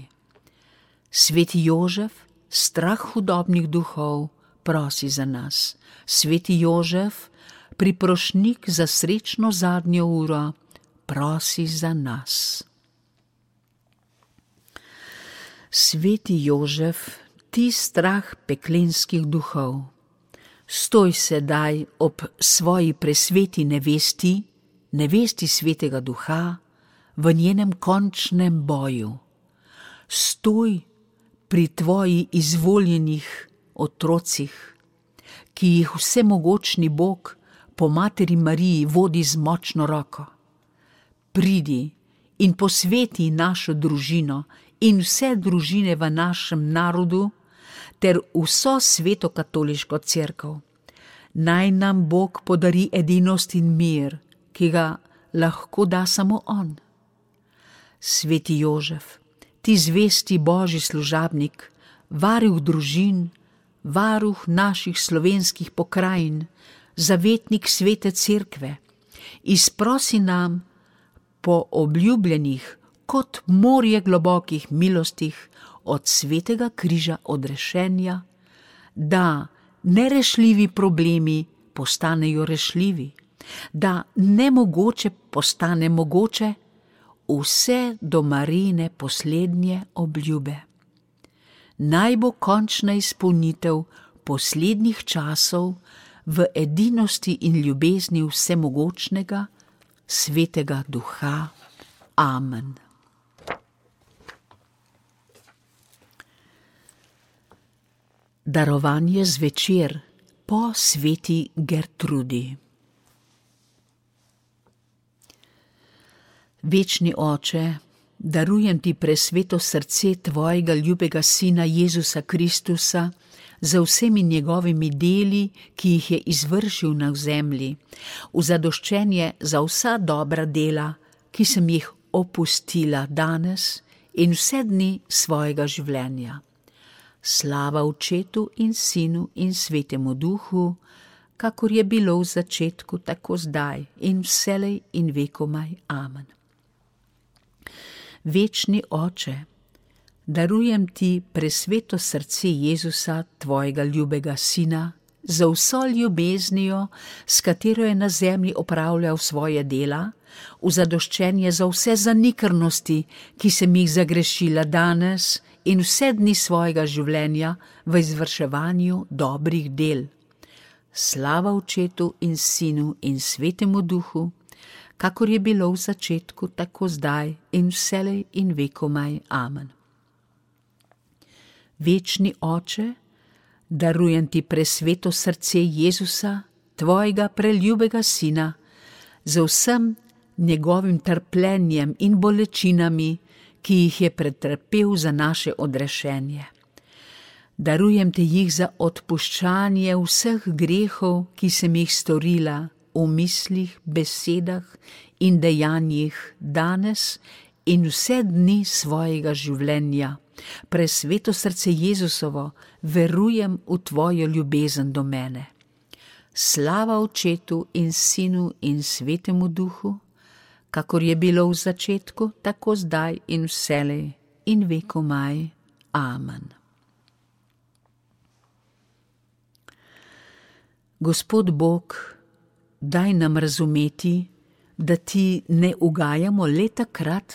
Sveti Jožef, strah hudobnih duhov, prosi za nas. Sveti Jožef, priprošnik za srečno zadnjo uro, prosi za nas. Sveti Jožef, ti strah peklenskih duhov, stoj sedaj ob svoji presveti nevesti, nevesti svetega duha, v njenem končnem boju. Stoj pri tvoji izvoljenih otrocih, ki jih vsemogočni Bog po materi Mariji vodi z močno roko. Pridi in posveti našo družino in vse družine v našem narodu ter vso sveto katoliško cerkev. Naj nam Bog podari edinost in mir, ki ga lahko da samo on. Sveti Jožef, ti zvesti Božji služabnik, varuh družin, varuh naših slovenskih pokrajin, zavetnik svete cerkve, izprosi nam po obljubljenih kot morje globokih milostih od svetega križa odrešenja, da nerešljivi problemi postanejo rešljivi, da nemogoče postane mogoče, vse do Marijine poslednje obljube. Naj bo končna izpolnitev poslednjih časov v edinosti in ljubezni vsemogočnega, svetega duha. Amen. Darovanje zvečer po sveti Gertrudi. Večni Oče, darujem ti presveto srce tvojega ljubega Sina Jezusa Kristusa za vsemi njegovimi deli, ki jih je izvršil na zemlji, v zadoščenje za vsa dobra dela, ki sem jih opustila danes in vse dni svojega življenja. Slava Očetu in Sinu in Svetemu Duhu, kakor je bilo v začetku, tako zdaj in vselej in vekomaj. Amen. Večni Oče, darujem ti presveto srce Jezusa, tvojega ljubega Sina, za vso ljubeznijo, s katero je na zemlji opravljal svoje dela, v zadoščenje za vse zanikrnosti, ki sem jih zagrešila danes in vse dni svojega življenja v izvrševanju dobrih del. Slava Očetu in Sinu in Svetemu Duhu, kakor je bilo v začetku, tako zdaj in vselej in vekomaj. Amen. Večni Oče, darujem ti presveto srce Jezusa, tvojega preljubega Sina, z vsem njegovim trpljenjem in bolečinami, ki jih je pretrpel za naše odrešenje. Darujem te jih za odpuščanje vseh grehov, ki sem jih storila v mislih, besedah in dejanjih danes in vse dni svojega življenja. Presveto srce Jezusovo, verujem v tvojo ljubezen do mene. slava Očetu in Sinu in Svetemu Duhu, kakor je bilo v začetku, tako zdaj in vselej in vekomaj. Amen. Gospod Bog, daj nam razumeti, da ti ne ugajamo le takrat,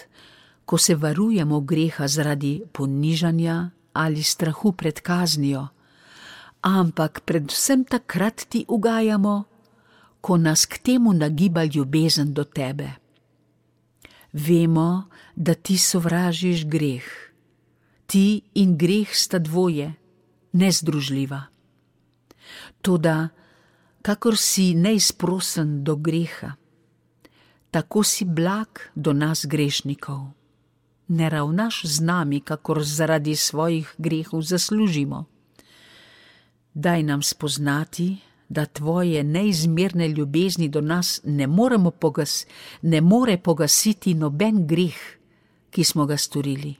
ko se varujemo greha zaradi ponižanja ali strahu pred kaznijo, ampak predvsem takrat ti ugajamo, ko nas k temu nagiba ljubezen do tebe. Vemo, da ti sovražiš greh. Ti in greh sta dvoje, nezdružljiva. Toda, kakor si neizprosen do greha, tako si blag do nas grešnikov. Ne ravnaš z nami, kakor zaradi svojih grehov zaslužimo. Daj nam spoznati, da tvoje neizmerne ljubezni do nas ne moremo pogas, ne more pogasiti noben greh, ki smo ga storili.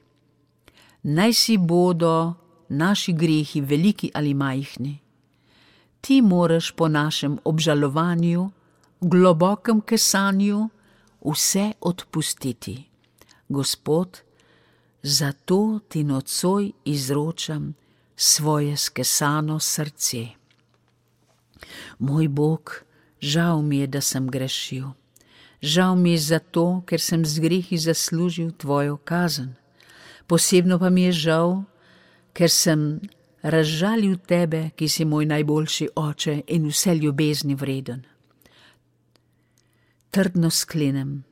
Naj si bodo naši grehi veliki ali majhni. Ti moraš po našem obžalovanju, globokem kesanju, vse odpustiti. Gospod, zato ti nocoj izročam svoje skesano srce. Moj Bog, žal mi je, da sem grešil. Žal mi je zato, ker sem z grehi zaslužil tvojo kazen. Posebno pa mi je žal, ker sem razžalil tebe, ki si moj najboljši oče in vse ljubezni vreden. Trdno sklenem,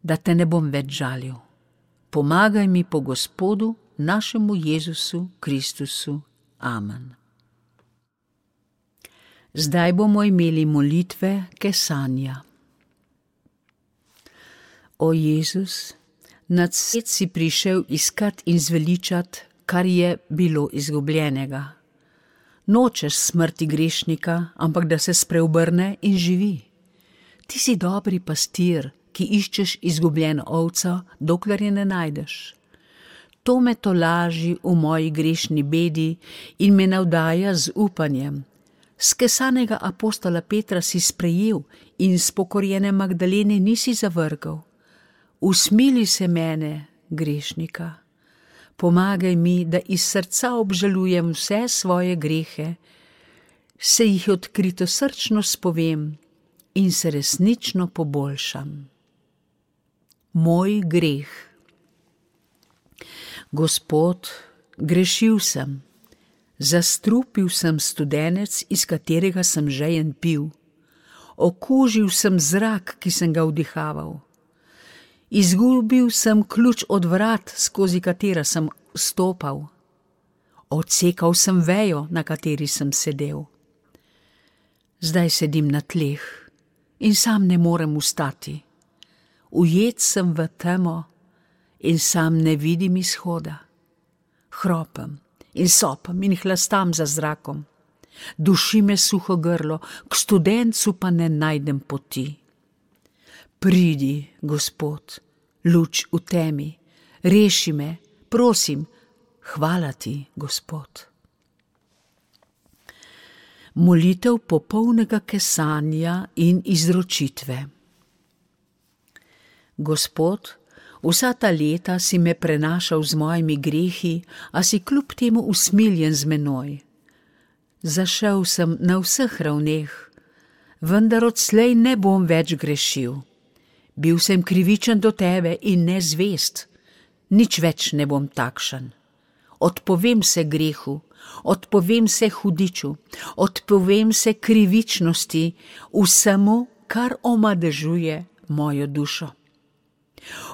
da te ne bom več žalil. Pomagaj mi po Gospodu, našemu Jezusu Kristusu. Amen. Zdaj bomo imeli molitve kesanja. O Jezus, nad svet si prišel iskat in zveličat, kar je bilo izgubljenega. Nočeš smrti grešnika, ampak da se spreobrne in živi. Ti si dobri pastir, ki iščeš izgubljeno ovco, dokler je ne najdeš. To me tolaži v moji grešni bedi in me navdaja z upanjem. Skesanega apostola Petra si sprejel in spokorjene Magdalene nisi zavrgal. Usmili se mene, grešnika. Pomagaj mi, da iz srca obžalujem vse svoje grehe, se jih odkrito srčno spovem in se resnično poboljšam. Moj greh. Gospod, grešil sem. Zastrupil sem studenec, iz katerega sem žejen pil. Okužil sem zrak, ki sem ga vdihaval. Izgubil sem ključ od vrat, skozi katera sem stopal. Odsekal sem vejo, na kateri sem sedel. Zdaj sedim na tleh in sam ne morem vstati. Ujet sem v temo in sam ne vidim izhoda. Hropem in sopam in hlastam za zrakom. Duši me suho grlo, k studencu pa ne najdem poti. Pridi, Gospod, luč v temi, reši me, prosim, hvala ti, Gospod. Molitev popolnega kesanja in izročitve. Gospod, vsa ta leta si me prenašal z mojimi grehi, a si kljub temu usmiljen z menoj. Zašel sem na vseh ravneh, vendar odslej ne bom več grešil. Bil sem krivičen do tebe in nezvest, nič več ne bom takšen. Odpovem se grehu, odpovem se hudiču, odpovem se krivičnosti, vsemu, kar omadežuje mojo dušo.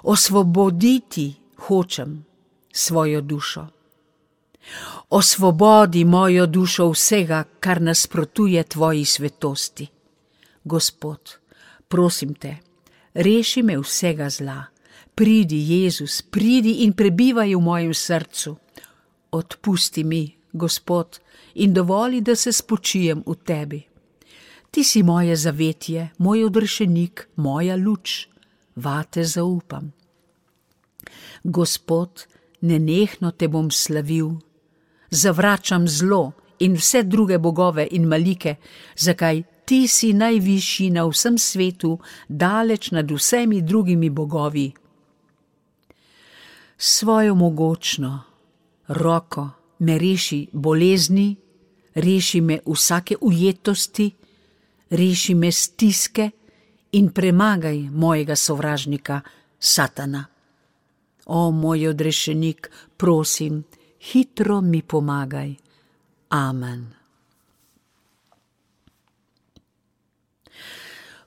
Osvoboditi hočem svojo dušo. Osvobodi mojo dušo vsega, kar nasprotuje tvoji svetosti. Gospod, prosim te, reši me vsega zla. Pridi, Jezus, pridi in prebivaj v mojem srcu. Odpusti mi, Gospod, in dovoli, da se spočijem v tebi. Ti si moje zavetje, moj odrešenik, moja luč. Vate zaupam. Gospod, nenehno te bom slavil. Zavračam zlo in vse druge bogove in malike, zakaj ti si najvišji na vsem svetu, daleč nad vsemi drugimi bogovi. Svojo mogočno roko me reši bolezni, reši me vsake ujetosti, reši me stiske in premagaj mojega sovražnika, Satana. O moj odrešenik, prosim, hitro mi pomagaj. Amen.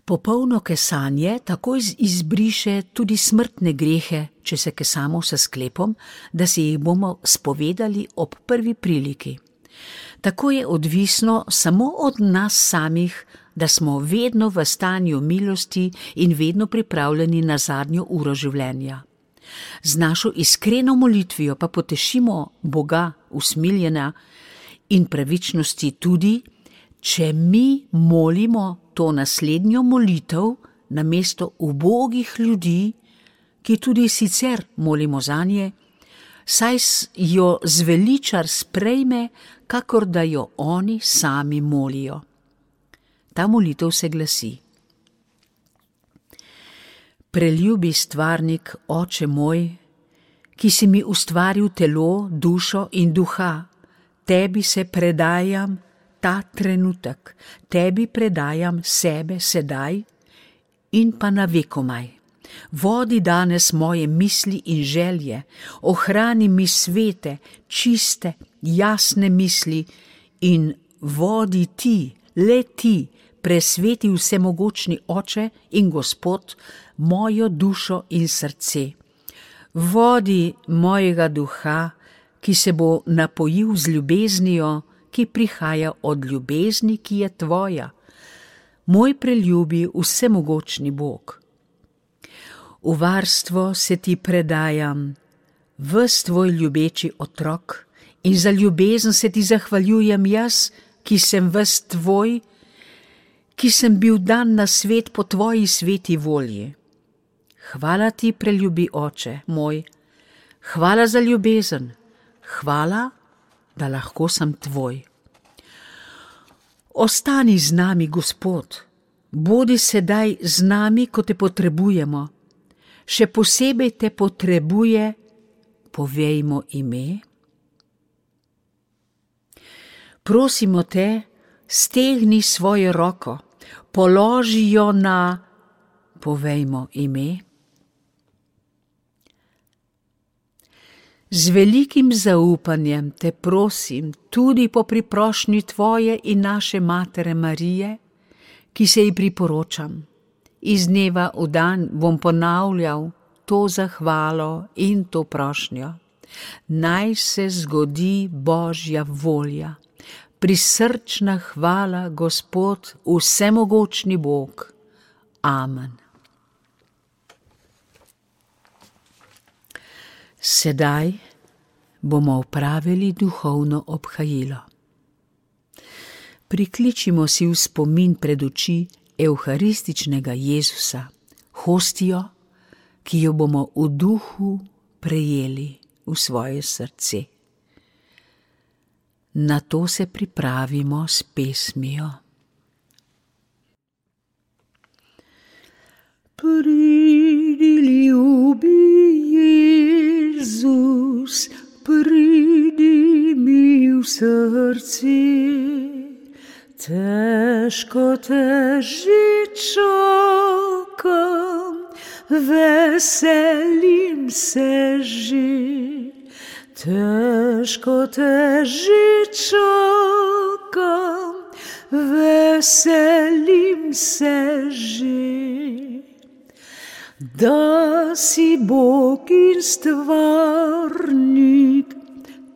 Popolno kesanje takoj izbriše tudi smrtne grehe, če se kesamo s sklepom, da si jih bomo spovedali ob prvi priliki. Tako je odvisno samo od nas samih, da smo vedno v stanju milosti in vedno pripravljeni na zadnjo uro življenja. Z našo iskreno molitvijo pa potešimo Boga usmiljena in pravičnosti tudi, če mi molimo to naslednjo molitev namesto ubogih ljudi, ki tudi sicer molimo zanje, saj jo zveličar sprejme, kakor da jo oni sami molijo. Ta molitev se glasi: Preljubi stvarnik, Oče moj, ki si mi ustvaril telo, dušo in duha, tebi se predajam ta trenutek, tebi predajam sebe sedaj in pa na vekomaj. Vodi danes moje misli in želje, ohrani mi svete, čiste, jasne misli in vodi ti, le ti, presveti vsemogočni Oče in Gospod, mojo dušo in srce. Vodi mojega duha, ki se bo napojil z ljubeznijo, ki prihaja od ljubezni, ki je tvoja. Moj preljubi vsemogočni Bog. V varstvo se ti predajam, ves tvoj ljubeči otrok, in za ljubezen se ti zahvaljujem jaz, ki sem ves tvoj, ki sem bil dan na svet po tvoji sveti volji. Hvala ti, preljubi Oče moj, hvala za ljubezen, hvala, da lahko sem tvoj. Ostani z nami, Gospod, bodi sedaj z nami, ko te potrebujemo. Še posebej te potrebuje, povejmo ime. Prosimo te, stegni svojo roko, položi jo na, povejmo ime. Z velikim zaupanjem te prosim tudi po priprošnji tvoje in naše matere Marije, ki se ji priporočam. Iz dneva v dan bom ponavljal to zahvalo in to prošnjo. Naj se zgodi Božja volja. Prisrčna hvala, Gospod, vsemogočni Bog. Amen. Sedaj bomo opravili duhovno obhajilo. Prikličimo si v spomin pred oči evharističnega Jezusa, hostijo, ki jo bomo v duhu prejeli v svoje srce. Na to se pripravimo s pesmijo. Pridi, ljubi Jezus, pridi mi v srce. Težko te že čakam, veselim se že. Težko te že čakam, veselim se že. Da si Bog in stvarnik,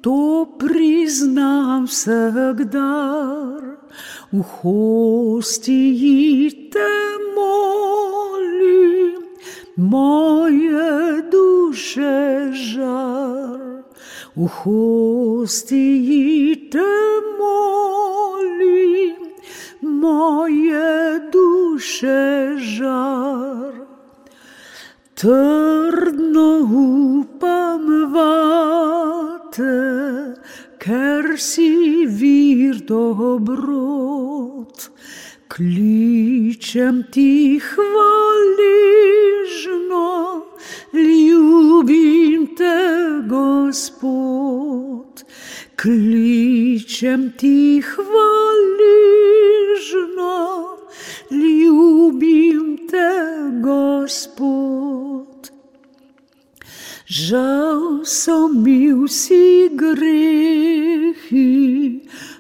to priznam vsak dar. V hostiji te molim, moje duše žar. V hostiji te molim, moje duše žar. Trdno upam vate, ker si vir dobrot. Kličem ti hvaležno, ljubim te, Gospod. Kličem ti hvaležno, ljubim te, Gospod. Žal so mi vsi grehi,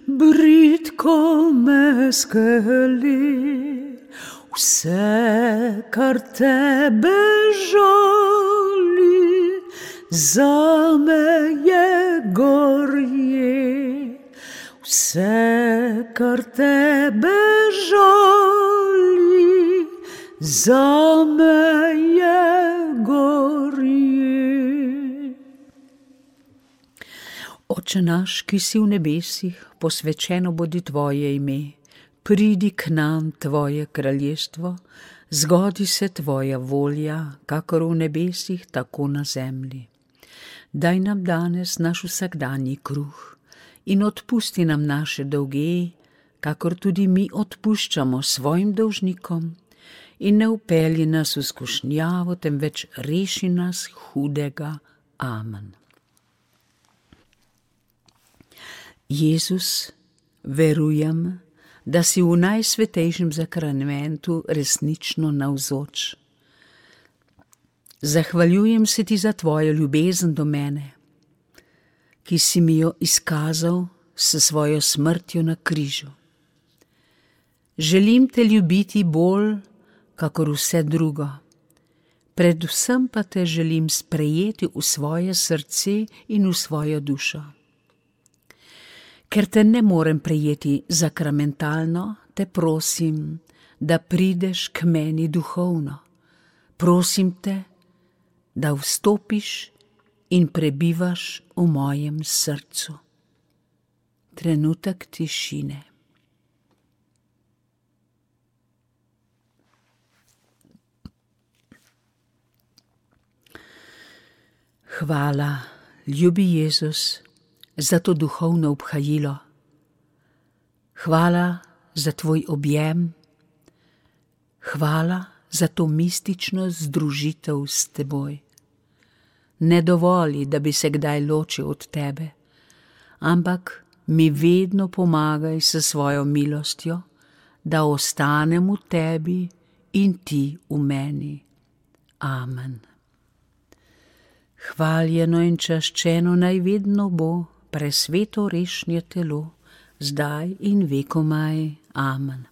bridko me skeli. Vse, kar tebe žali, zame je gorje. Vse, kar tebe žali, zame je gorje. Oče naš, ki si v nebesih, posvečeno bodi tvoje ime. Pridi k nam tvoje kraljestvo, zgodi se tvoja volja, kakor v nebesih, tako na zemlji. Daj nam danes naš vsakdanji kruh in odpusti nam naše dolge, kakor tudi mi odpuščamo svojim dolžnikom, in ne vpelji nas v skušnjavo, temveč reši nas hudega. Amen. Jezus, verujem, da si v najsvetejšem zakramentu resnično navzoč. Zahvaljujem se ti za tvojo ljubezen do mene, ki si mi jo izkazal s svojo smrtjo na križu. Želim te ljubiti bolj, kakor vse drugo. Predvsem pa te želim sprejeti v svoje srce in v svojo dušo. Ker te ne morem prejeti zakramentalno, te prosim, da prideš k meni duhovno. Prosim te, da vstopiš in prebivaš v mojem srcu. Trenutek tišine. Hvala, ljubi Jezus, za to duhovno obhajilo. Hvala za tvoj objem. Hvala za to mistično združitev s teboj. Ne dovoli, da bi se kdaj ločil od tebe, ampak mi vedno pomagaj s svojo milostjo, da ostanem v tebi in ti v meni. Amen. Hvaljeno in čaščeno naj vedno bo presveto rešnje telo, zdaj in vekomaj. Amen.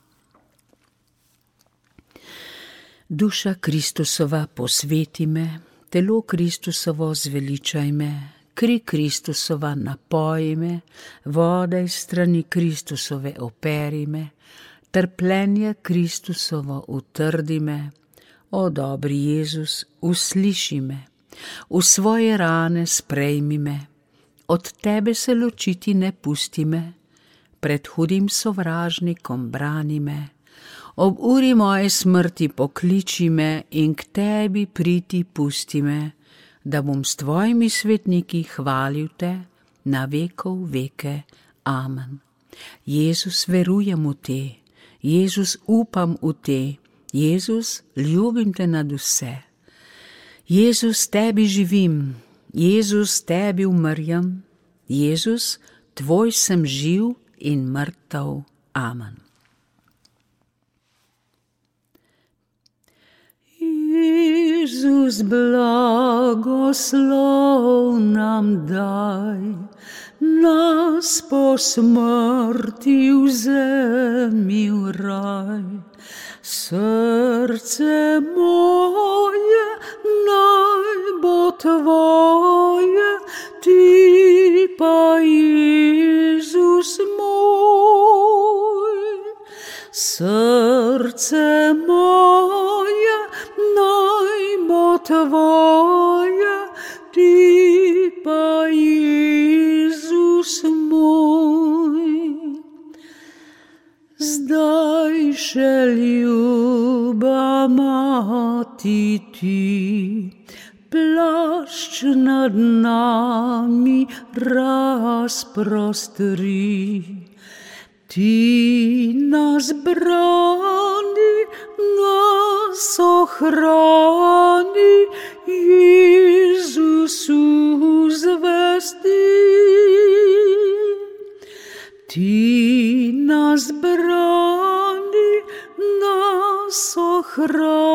Duša Kristusova, posveti me, telo Kristusovo zveličaj me, kri Kristusova napoji me, voda iz strani Kristusove operi me, trpljenje Kristusovo utrdi me. O dobri Jezus, usliši me, v svoje rane sprejmi me, od tebe se ločiti ne pusti me, pred hudim sovražnikom brani me, ob uri moje smrti pokliči me in k tebi priti pusti me, da bom s tvojimi svetniki hvalil te na vekov veke. Amen. Jezus, verujem v te, Jezus, upam v te, Jezus, ljubim te nad vse. Jezus, tebi živim, Jezus, tebi umrjem, Jezus, tvoj sem živ in mrtev. Amen. Jezus, blagoslov nam daj, nas po smrti vzemi v raj. Srce moje naj bo tvoje, ti pa Jezus moj. Srce moje naj bo tvoje, ti pa Jezus moj. Zdaj še ljuba mati ti, plašč nad nami razprostri. Ti nas brani, nas ohrani, Jezusu zvesti. Ti nas brani, nas ohrani,